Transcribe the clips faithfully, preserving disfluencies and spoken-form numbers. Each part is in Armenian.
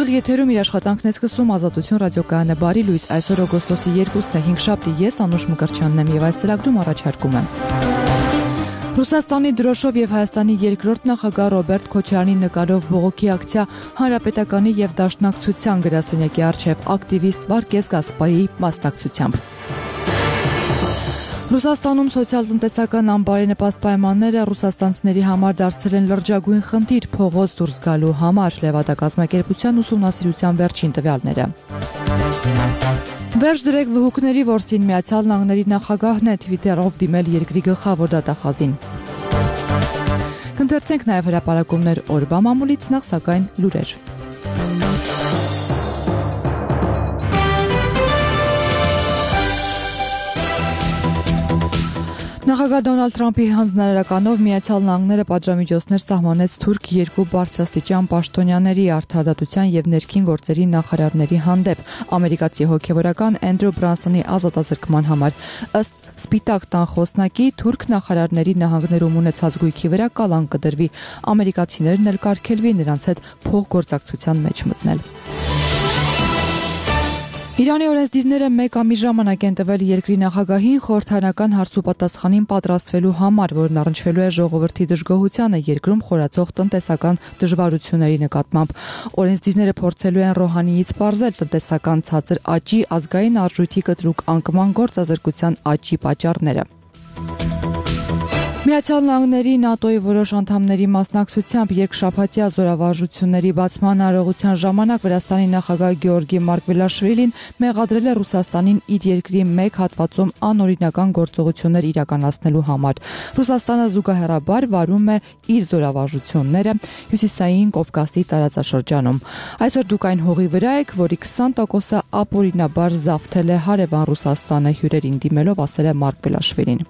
Ուղիղ եթերում իր աշխատանքն է սկսում Ազատություն ռադիոկայանը բարի լույս այսօր օգոստոսի երկուստը հինգշաբթի ես Անուշ Մկրտչյանն եմ եւ այս ծրագրում առաջարկում եմ Ռուսաստանի դրոշով եւ Հայաստանի երկրորդ նախագահ Ռոբերտ Քոչարյանի նկարով բողոքի ակցիա Հանրապետականի եւ Դաշնակցության գրասենյակի առջեւ ակտիվիստ Վարկես Գասպարի մասնակցությամբ Ռուսաստանում սոցիալ-տնտեսական անբարենպաստ պայմանները ռուսաստանցիների համար դարձել են լրջագույն խնդիր փողոց դուրս գալու համար Լևադակազմակերպության ուսումնասիրության վերջին տվյալները Վերջ դրեք վհուկների որսին Միացյալ Նահանգների նախագահն է Twitter-ով դիմել երկրի գլխավոր դատախազին Կընթերցենք նաև հրապարակումներ օրվա մամուլից նախ սակայն լուրեր Նախագահ Դոնալդ Թրամփի հանձնարարականով Միացյալ Նահանգները պատժամիջոցներ սահմանեց թուրք երկու բարձրաստիճան պաշտոնյաների արդարադատության եւ ներքին գործերի նախարարների հանդեպ ամերիկացի հոգեվորական Էնդրու Բրանսոնի ազատազրկման համար ըստ Սպիտակ տան խոսնակի թուրք նախարարների նահանգներում ունեցած գույքի վրա կալան կդրվի ամերիկացիներն էլ կարգելվի նրանց հետ փոխգործակցության մեջ մտնել Իրանի օրենսդիրները մեկ ամիս ժամանակ են տվել երկրի նախագահին խորհրդարանական հարցուպատասխանին պատրաստվելու համար, որն առնչվելու է ժողովրդի դժգոհությանը երկրում խորացող տնտեսական դժվարությունների նկատմամբ։ Օրենսդիրները փորձելու են Ռոհանիից պարզել տնտեսական ցածր աճի, ազգային արժույթի կտրուկ անկման գործազրկության աճի պատճառները։ Միացյալ Նահանգների ՆԱՏՕ-ի որոշ անդամների մասնակցությամբ երկշաբաթյա զորավարժությունների բացման արարողության ժամանակ Վրաստանի նախագահ Գեորգի Մարկվելաշվիլին մեղադրել է Ռուսաստանին իր երկրի մեկ հատվածում անօրինական գործողություններ իրականացնելու համար։ Ռուսաստանը զուգահեռաբար վարում է իր զորավարժությունները Հյուսիսային Կովկասի տարածաշրջանում։ Այսօր դուք այն հողի վրա եք, որի քսան տոկոսը ապօրինաբար զավթել է հարևան Ռուսաստանը հյուրերին դիմելով, ասել է Մարկվելաշվիլին։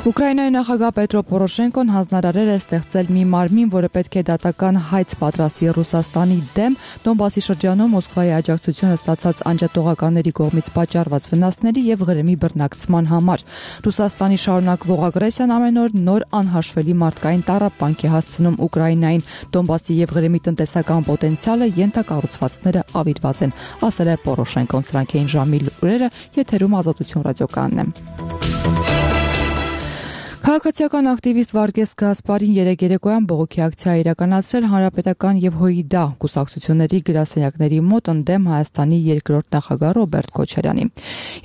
Ուկրաինայի նախագահ Պետրո Պորոշենկոն հանձնարարել է ստեղծել մի մարմին, որը պետք է դատական հայց պատրաստի Ռուսաստանի դեմ Դոնբասի շրջանում Մոսկվայի աջակցությունը ստացած անջատողականների կողմից պատճառված վնասների եւ Ղրիմի բռնակցման համար։ Ռուսաստանի շարունակվող ագրեսիան ամեն օր նոր անհաշվելի մարդկային տառապանք է հասցնում Ուկրաինային։ Դոնբասի եւ Ղրիմի տնտեսական պոտենցիալը ենթակառուցվածքները ավիրված են, ասել է Պորոշենկոն։ Սրանք էին ժամի լուրերը, եթերում Ազատություն ռադիոկայանն է։ Քաղաքացիական ակտիվիստ Վարկես Գասպարին երեկ երեկոյան բողոքի ակցիա իրականացրել Հանրապետական եւ ՀՅԴ կուսակցությունների գրասենյակների մոտ ընդդեմ Հայաստանի երկրորդ նախագահ Ռոբերտ Քոչարյանի։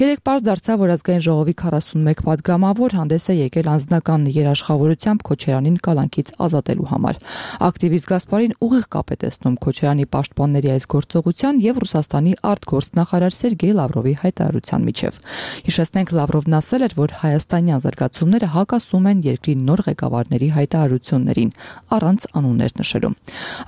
Երեկ պարզ դարձավ, որ ազգային ժողովի քառասունմեկ պատգամավոր հանդես է եկել անձնական երաշխավորությամբ Քոչարյանին կալանքից ազատելու համար։ Ակտիվիստ Գասպարին ուղիղ կապ է տեսնում Քոչարյանի պաշտպանների այս գործողության եւ Ռուսաստանի արտգործնախարար Սերգեյ Լավրովի հայտարարության միջև։ Հիշեցնենք, Լավրովն ասել էր, որ հայաստանյան զարգացումները հակասում են երկրի նոր ղեկավարների հայտարարություններին, առանց անուններ նշելու։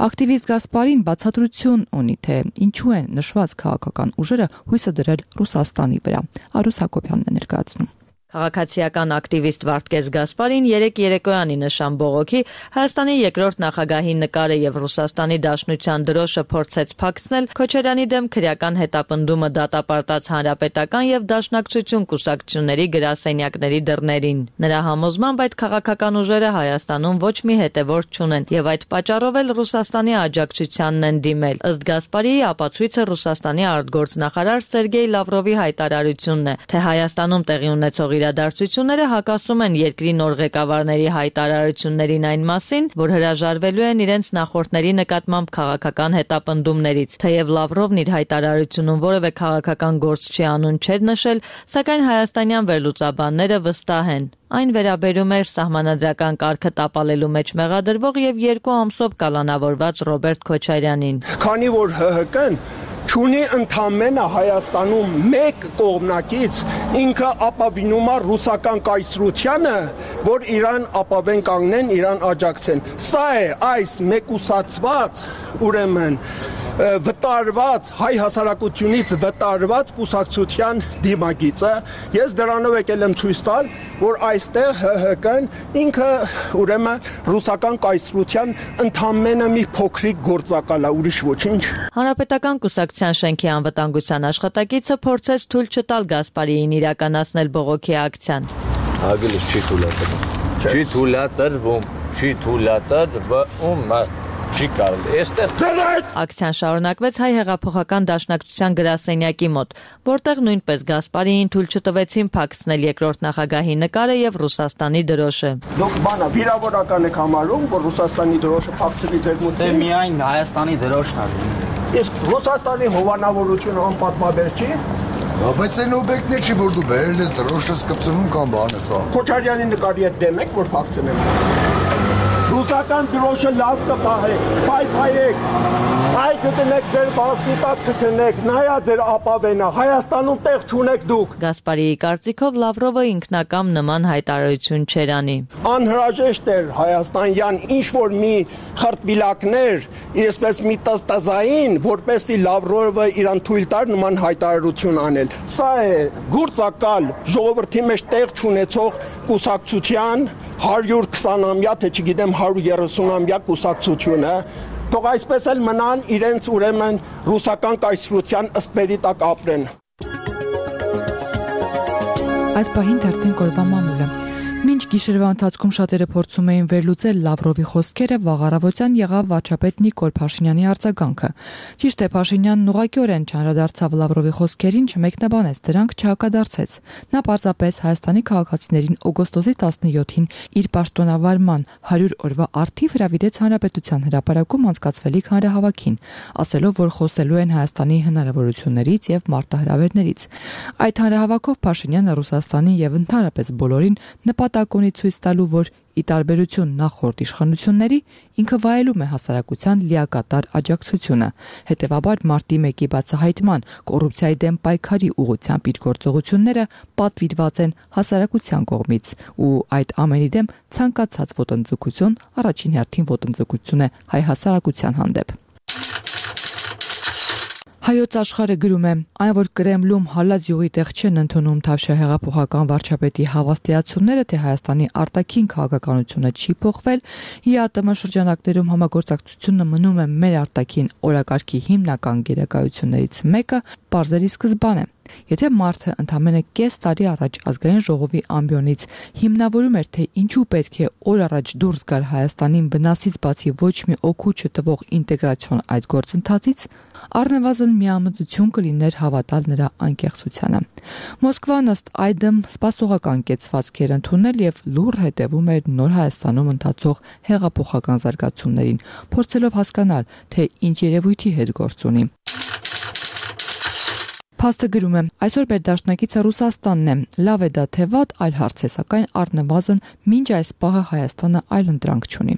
Ակտիվիստ Գասպարին բացատրություն ունի, թե ինչու են նշված քաղաքական ուժերը հույսը դրել Ռուսաստանի վրա։ Արուս Հակոբյանն է ներկայացնում։ Քաղաքացիական ակտիվիստ Վարդգես Գասպարին երեկ երեկոյանի նշան բողոքի Հայաստանի երկրորդ նախագահի նկարը եւ Ռուսաստանի Դաշնության դրոշը փորձեց փակցնել Քոչարյանի դեմ քրեական հետապնդումը դատապարտած Հանրապետական եւ Դաշնակցություն կուսակցությունների գրասենյակների դռներին։ Նրա համոզմամբ այդ քաղաքական ուժերը Հայաստանում ոչ մի հետևորդ չունեն եւ այդ պատճառով էլ Ռուսաստանի աջակցությանն են դիմել։ Ըստ Գասպարի ապացույցը Ռուսաստանի արտգործնախարար Սերգեյ Լավրովի հայտարարությունն է, թե Հայաստանում տեղի ունեցող իրադարձությունները հակասում են երկրի նոր ղեկավարների հայտարարություններին այն մասին, որ հրաժարվելու են իրենց նախորդների նկատմամբ քաղաքական հետապնդումներից։ Թեև Լավրովն իր հայտարարությունում որևէ քաղաքական գործ չի անուն չէր նշել, սակայն հայաստանյան վերլուծաբանները վստահ են։ Այն վերաբերում էր սահմանադրական կարգը տապալելու մեջ մեղադրվող եւ երկու ամսով կալանավորված Ռոբերտ Քոչարյանին։ Քանի որ ՀՀԿ-ն չունի ընդամենը Հայաստանում մեկ կողմնակից, ինքը ապավինում է ռուսական կայսրությանը, որ իրան ապավեն կանգնեն, իրան աջակցեն։ Սա է այս մեկուսացված, ուրեմն վտարված, հայ հասարակությունից վտարված կուսակցության դիմագիծը։ Ես դրանով եկել եմ ցույց տալ, որ այստեղ ՀՀԿ-ն ինքը ուրեմն ռուսական կայսրության ընդամենը մի փոքրիկ գործակալ է, ուրիշ ոչինչ։ Հանրապետական կուսակցության շենքի անվտանգության աշխատակիցը փորձեց թույլ չտալ Գասպարիին իրականացնել բողոքի ակցիան։ Ագելս չի թույլատրվում։ Չի թույլատրվում, չի թույլատրվում։ չի կարելի։ Այստեղ Ակցիան շարունակվեց Հայ հեղափոխական դաշնակցության գրասենյակի մոտ, որտեղ նույնպես Գասպարիին թույլ չտվեցին փակցնել երկրորդ նախագահի նկարը եւ Ռուսաստանի դրոշը։ Դուք բանա վիրավորական եք համարում, որ Ռուսաստանի դրոշը փակցվի ձեր մոտ։ Դե միայն Հայաստանի դրոշն է։ Իսկ Ռուսաստանի հովանավորությունը անպատվաբեր չի։ Բայց այն օբյեկտներ չի, որ դու բերել ես դրոշը կպցնում կամ բան ես ա։ Քոչարյանի նկարի հետ դեմ եք, որ փակցնեմ։ Ռուսական դրոշը լավ կպահեք, փայփայեք, այ գտնեք ձեր բացի տակ գտնեք, նայա ձեր ապավենը, Հայաստանում տեղ չունեք դուք։ Գասպարիի կարծիքով Լավրովը ինքնակամ նման հայտարարություն չէր անի։ Անհրաժեշտ էր հայաստանյան ինչ-որ մի խրտվիլակներ, այսպես մի տզտզային, որպեսզի Լավրովը իրան թույլ տար նման հայտարարություն անել։ Սա է գործակալ ժողովրդի մեջ տեղ չունեցող կուսակցության հարյուր քսանամյա, թե չգիտեմ հարյուր երեսունամյա կուսակցությունը, թող այսպես էլ մնան իրենց ուրեմն ռուսական կայսրության ըսպերի տակ ապրեն։ Այս պահին թերթին կորբա մամուլը։ Մինչ գիշերվա ընթացքում շատերը փորձում էին վերլուծել Լավրովի խոսքերը, վաղ առավոտյան եղավ վարչապետ Նիկոլ Փաշինյանի արձագանքը։ Ճիշտ է, Փաշինյանն ուղղակիորեն չանդրադարձավ Լավրովի խոսքերին, չմեկնաբանեց դրանք, չհակադարձեց։ Նա պարզապես Հայաստանի քաղաքացիներին օգոստոսի տասնյոթին իր պաշտոնավարման հարյուր օրվա առթիվ հրավիրեց Հանրապետության հրապարակում անցկացվելիք հանրահավաքին, ասելով, որ խոսելու են Հայաստանի հնարավորություններից եւ մարտահրավերներից։ Այդ հանրահավաքով Փաշինյանը Ռուսաստանի եւ ընդհանրապես բոլորին նպատակ ունի ցույց տալու, որ ի տարբերություն նախորդ իշխանությունների ինքը վայելում է հասարակության լիակատար աջակցությունը։ Հետևաբար մարտի մեկի բացահայտման, կոռուպցիայի դեմ պայքարի ուղղությամբ իր գործողությունները պատվիրված են հասարակության կողմից, ու այդ ամենի դեմ ցանկացած ոտնձգություն առաջին հերթին ոտնձգություն է հայ հասարակության հանդեպ։ Հայոց աշխարհը գրում է, այն որ Կրեմլում հալած յուղի տեղ չեն ընդունում Թավշյա հեղափոխական վարչապետի հավաստիացումները, թե Հայաստանի արտաքին քաղաքականությունը չի փոխվել, ՀԻԱՏՄ շրջանակներում համագործակցությունը մնում է մեր արտաքին օրակարգի հիմնական գերակայություններից մեկը, պարզերի սկզբան է։ Եթե մարդը ընդամենը կես տարի առաջ ազգային ժողովի ամբիոնից հիմնավորում էր, թե ինչու պետք է օր առաջ դուրս գալ Հայաստանին բնասից բացի ոչ մի օգուտ չտվող ինտեգրացիոն այդ գործընթացից, առնվազն միամտություն կլիներ հավատալ նրա անկեղծությանը։ Մոսկվան ըստ այդմ սպասողական կեցվածք էր ընդունել եւ լուռ հետևում էր նոր Հայաստանում ընթացող հեղափոխական զարգացումներին, փորձելով հասկանալ, թե ինչ երևույթի հետ գործ ունի։ Փաստը գրում է, այսօր մեր դաշնակիցը Ռուսաստանն է, լավ է դա թե վատ, այլ հարց է, սակայն առնվազն մինչ այս պահը Հայաստանը այլ ընտրանք չունի։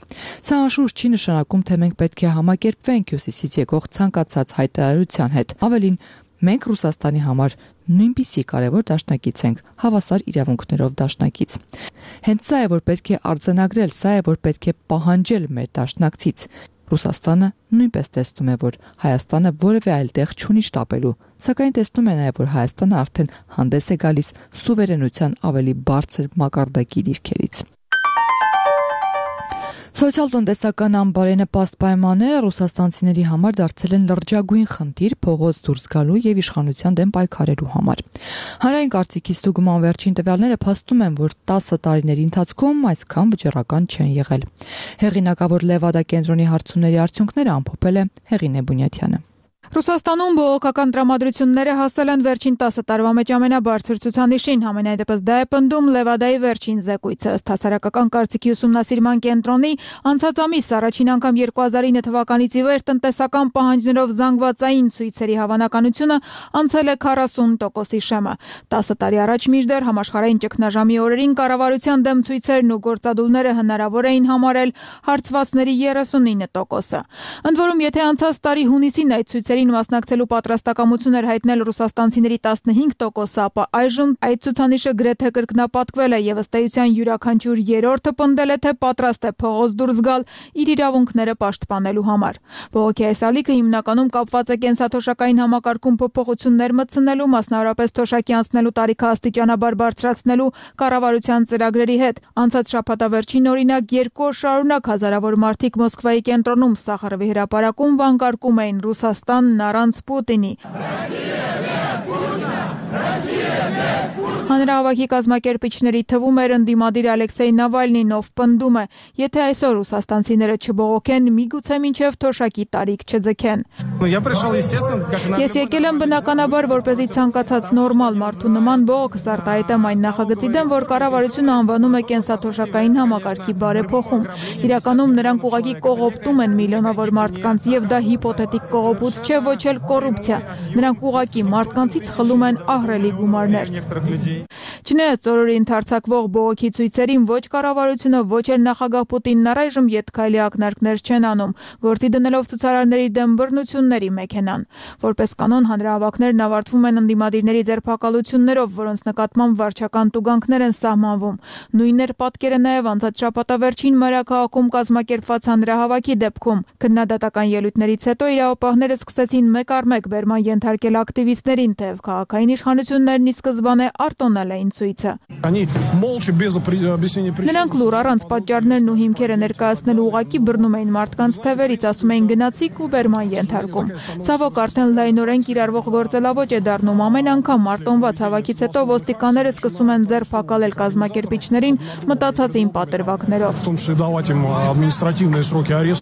Սա անշուշտ չի նշանակում, թե մենք պետք է համակերպվենք հյուսիսից եկող ցանկացած հայտարարության հետ։ Ավելին, մենք Ռուսաստանի համար նույնպիսի կարևոր դաշնակից ենք, հավասար իրավունքներով դաշնակից։ Հենց սա է, որ պետք է արձանագրել, սա է, որ պետք է պահանջել մեր դաշնակցից։ Ռուսաստանը նույնպես տեսնում է, որ Հայաստանը որևէ այլ տեղ չունի շտապելու, սակայն տեսնում է նաև, որ Հայաստանը արդեն հանդես է գալիս սուվերենության ավելի բարձր մակարդակի դիրքերից։ Սոցիալ-տնտեսական անբարենպաստ պայմանները ռուսաստանցիների համար դարձել են լրջագույն խնդիր փողոց դուրս գալու եւ իշխանության դեմ պայքարելու համար։ Հանրային կարծիքի ստուգման վերջին տվյալները փաստում են, որ տասը տարիների ընթացքում այսքան վճռական չեն եղել։ Հեղինակավոր Լևադա կենտրոնի հարցումների արդյունքները ամփոփել է Հեղինե Բունյաթյանը։ Ռուսաստանում բողոքական տրամադրությունները հասել են վերջին տասը տարվա մեջ ամենաբարձր ցուցանիշին, համենայնդեպս դա է պնդում Լևադայի վերջին զեկույցը, ըստ հասարակական կարծիքի ուսումնասիրման կենտրոնի անցած ամիս առաջին անգամ երկու հազար ինը թվականից ի վեր տնտեսական պահանջներով զանգվածային ցույցերի հավանականությունը անցել է քառասուն տոկոսի շեմը։ տասը տարի առաջ մինչդեռ համաշխարհային ճգնաժամի օրերին կառավարության դեմ ցույցերն ու գործադուլները հնարավոր էին համարել հարցվածների երեսունինը տոկոսը։ Ընդ որում, եթե անցած տարի հունիսին այդ ցույցերի մասնակցելու պատրաստակամություն էր հայտնել ռուսաստանցիների տասնհինգ տոկոսը, ապա այժմ այդ ցուցանիշը գրեթե կրկնապատկվել է եւ ըստ էության յուրաքանչյուր երրորդը պնդել է, թե պատրաստ է փողոց դուրս գալ իր իրավունքները պաշտպանելու համար։ Բողոքի այս ալիքը հիմնականում կապված է կենսաթոշակային համակարգում փոփոխություններ մտցնելու, մասնավորապես թոշակի անցնելու տարիքը աստիճանաբար բարձրացնելու կառավարության ծրագրերի հետ։ Անցած շաբաթավերջին օրինակ երկու օր շարունակ հազարավոր մարդիկ Մոսկվայի կենտրոնում Սախարովի հրապարակում վանկարկում էին Ռուսաստան առանց Պուտինի։ Հանրահավաքի կազմակերպիչների թվում էր ընդդիմադիր Ալեքսեյ Նավալնին, ով պնդում է, եթե այսօր ռուսաստանցիները չբողոքեն, միգուցե մինչև թոշակի տարիք չձգեն։ Ես եկել եմ բնականաբար, որպեսզի ցանկացած նորմալ մարդու նման բողոքս արտահայտեմ այն նախագծի դեմ, որ կառավարությունը անվանում է կենսաթոշակային համակարգի բարեփոխում։ Իրականում նրանք ուղղակի կողոպտում են միլիոնավոր մարդկանց, եւ դա հիպոթետիկ կողոպուտ չէ, ոչ էլ կոռուպցիա։ Նրանք ուղղակի մարդկանցից խլում են ահռելի գումարներ։ Չնայած օրերի ընթերցակվող բողոքի ցույցերին ոչ կառավարությունը, ոչ էլ նախագահ Պուտինն առայժմ ետքայլի ակնարկներ չեն անում, գործի դնելով ցուցարարների դեմ բռնությունների մեքենան։ Որպես կանոն հանրահավաքներն ավարտվում են ընդդիմադիրների ձերբակալություններով, որոնց նկատմամբ վարչական տուգանքներ են սահմանվում։ Նույնն էր պատկերը նաև անցած շաբաթավերջին մայրաքաղաքում կազմակերպված հանրահավաքի դեպքում։ Քննադատական ելույթներից հետո իրավապահները սկսեցին մեկ առ մեկ բերման ենթարկել ակտիվիստներին, թեև քաղաքային իշխանություններն ի սկզբանե արտոնել էին ցույցը։ Նրանք լուր առանց պատճառներն ու հիմքերը ներկայացնելու ուղղակի բռնում էին մարդկանց թևերից, ասում էին գնացիկ ու բերման ենթարկում։ Ցավոք արդեն լայնորեն կիրառվող գործելավոճ է դառնում։ Ամեն անգամ արտոնված հավաքից հետո ոստիկանները սկսում են ձերբակալել կազմակերպիչներին մտածածին պատրվակներով։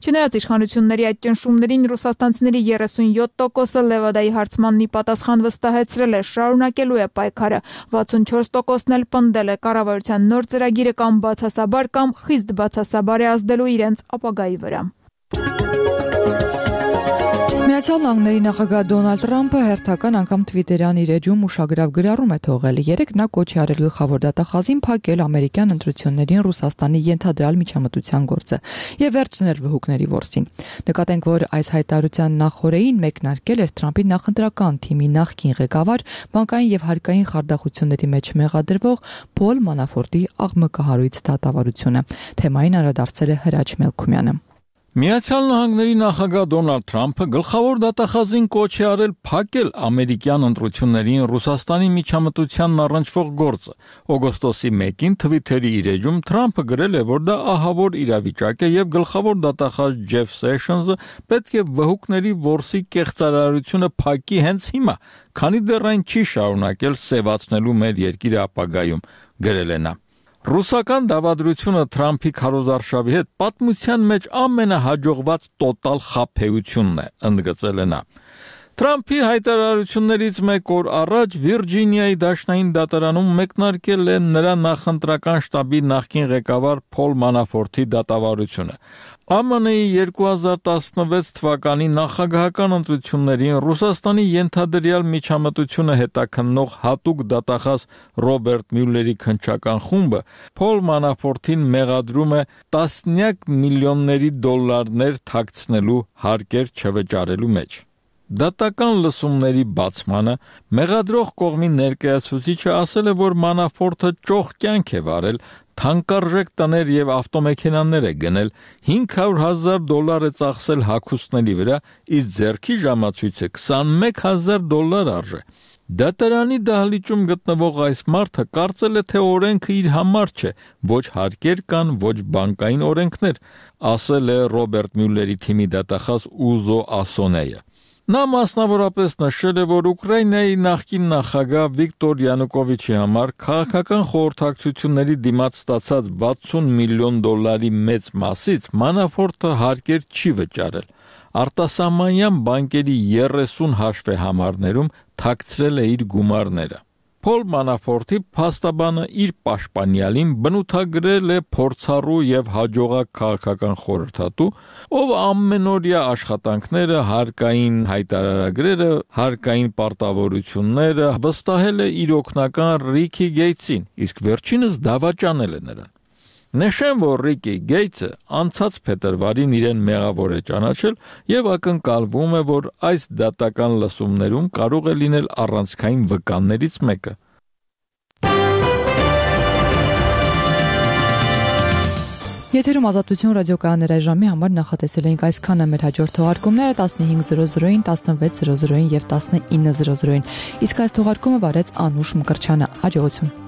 Չնայած իշխանությունների այդ ճնշումներին ռուսաստանցիների երեսունյոթ տոկոսը Լևադայի հարցմանն ի պատասխան վստահեցրել է, շարունակելու է պայքարը, վաթսունչորս տոկոսն էլ պնդել է կառավարության նոր ծրագիրը կամ բացասաբար կամ խիստ բացասաբար է ազդելու իրենց ապագայի վրա։ Միացյալ Նահանգների նախագահ Դոնալդ Թրամփը հերթական անգամ Թվիտերյան իր էջում ուշագրավ գրառում է թողել։ Երեկ նա կոչ է արել գլխավոր դատախազին փակել ամերիկյան ընտրություններին Ռուսաստանի ենթադրյալ միջամտության գործը եւ վերջնել վհուկների որսին։ Նկատենք, որ այս հայտարարության նախօրեին մեկնարկել էր Թրամփի նախընտրական թիմի նախկին ղեկավար, բանկային եւ հարկային խարդախությունների մեջ մեղադրվող Փոլ Մանաֆորտի աղմկահարույց դատավարությունը։ Թեմային անդրադարձել է Հրաչ Մելքումյանը։ Միացյալ Նահանգների նախագահ Դոնալդ Թրամփը գլխավոր դատախազին կոչ է արել փակել ամերիկյան ընտրություններին Ռուսաստանի միջամտությանն առնչվող գործը։ Օգոստոսի մեկին Թվիթերի իր էջում Թրամփը գրել է, որ դա ահավոր իրավիճակ է եւ գլխավոր դատախազ Ջեֆ Սեշնսը պետք է վհուկների որսի կեղծարարությունը փակի հենց հիմա, քանի դեռ այն չի շարունակել սևացնելու մեր երկիրը ապագայում, գրել է նա։ Ռուսական դավադրությունը Թրամփի քարոզարշավի հետ պատմության մեջ ամենահաջողված տոտալ խաբեությունն է, ընդգծել է նա։ Թրամփի հայտարարություններից մեկ օր առաջ Վիրջինիայի դաշնային դատարանում մեկնարկել է նրա նախընտրական շտաբի նախկին ղեկավար Փոլ Մանաֆորտի դատավարությունը։ Ամը Նի երկու հազար տասնվեց թվականի նախագահական ընտրություններին Ռուսաստանի ենթադրյալ միջամտությունը հետաքննող հատուկ դատախազ Ռոբերտ Մյուլլերի քննչական խումբը Փոլ Մանաֆորտին մեղադրում է տասնյակ միլիոնների դոլարներ թաքցնելու հարկեր չվճարելու մեջ։ Դատական լսումների բացմանը մեղադրող կողմի ներկայացուցիչը ասել է, որ Մանաֆորտը ճոխ կյանք է վարել, թանկարժեք տներ եւ ավտոմեքենաներ է գնել, հինգ հարյուր հազար դոլար է ծախսել հագուստների վրա, իսկ ձեռքի ժամացույցը քսանմեկ հազար դոլար արժե։ Դատարանի դահլիճում գտնվող այս մարդը կարծել է, թե օրենքը իր համար չէ, ոչ հարկեր կան, ոչ բանկային օրենքներ, ասել է Ռոբերտ Մյուլլերի թիմի դատախազ Ուզո Ասոնեյը։ Նա մասնավորապես նշել է, որ Ուկրաինայի նախկին նախագահ Վիկտոր Յանուկովիչի համար քաղաքական խորհրդակցությունների դիմաց ստացած վաթսուն միլիոն դոլարի մեծ մասից Մանաֆորտը հարկեր չի վճարել։ Արտասահմանյան բանկերի երեսուն հաշվեհամարներում թաքցրել է իր գումարները։ Փոլ Մանաֆորտի փաստաբանը իր պաշտպանյալին բնութագրել է փորձառու եւ հաջողակ քաղաքական խորհրդատու, ով ամենօրյա աշխատանքները, հարկային հայտարարագրերը, հարկային պարտավորությունները վստահել է իր օգնական Ռիքի Գեյթսին, իսկ վերջինս դավաճանել է նրան։ Նշեմ, որ Ռիքի Գեյթսը անցած փետրվարին իրեն մեղավոր է ճանաչել եւ ակնկալվում է, որ այս դատական լսումներում կարող է լինել առանցքային վկաններից մեկը։ Եթերում Ազատություն ռադիոկայանների այժմի համար նախատեսել էինք այսքանը, մեր հաջորդ թողարկումները տասնհինգ զրո զրոին, տասնվեց զրո զրոին եւ տասնինը զրո զրոին։ Իսկ այս թողարկումը վարեց Անուշ Մկրչյանը։ Հաջողություն։